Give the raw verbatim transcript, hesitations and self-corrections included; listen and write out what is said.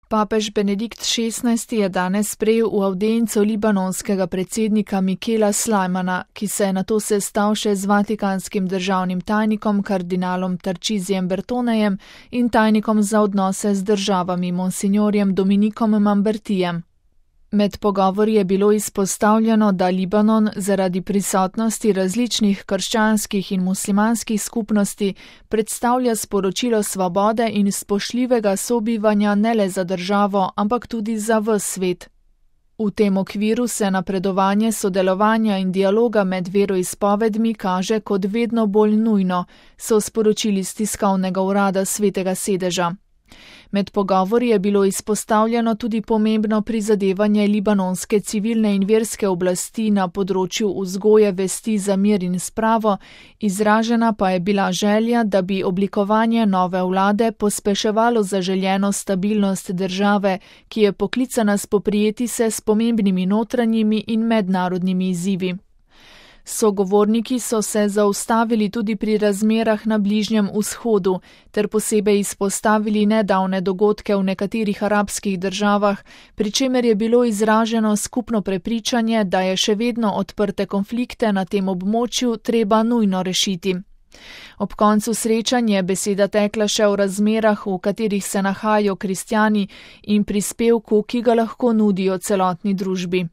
Papež Benedikt šestnajsti je danes sprejel v avdienco libanonskega predsednika Mikela Slajmana, ki se je nato sestal še z vatikanskim državnim tajnikom kardinalom Tarčizijem Bertonejem in tajnikom za odnose z državami monsignorjem Dominikom Mambertijem. Med pogovori je bilo izpostavljeno, da Libanon zaradi prisotnosti različnih krščanskih in muslimanskih skupnosti predstavlja sporočilo svobode in spoštljivega sobivanja ne le za državo, ampak tudi za ves svet. V tem okviru se napredovanje sodelovanja in dialoga med veroizpovedmi kaže kot vedno bolj nujno, so sporočili s tiskovnega urada Svetega sedeža. Med pogovori je bilo izpostavljeno tudi pomembno prizadevanje libanonske civilne in verske oblasti na področju vzgoje vesti za mir in spravo, izražena pa je bila želja, da bi oblikovanje nove vlade pospeševalo zaželjeno stabilnost države, ki je poklicana spoprijeti se s pomembnimi notranjimi in mednarodnimi izzivi. Sogovorniki so se zaustavili tudi pri razmerah na Bližnjem vzhodu ter posebej izpostavili nedavne dogodke v nekaterih arabskih državah, pri čemer je bilo izraženo skupno prepričanje, da je še vedno odprte konflikte na tem območju treba nujno rešiti. Ob koncu srečanja je beseda tekla še o razmerah, v katerih se nahajajo kristjani in prispevku, ki ga lahko nudijo celotni družbi.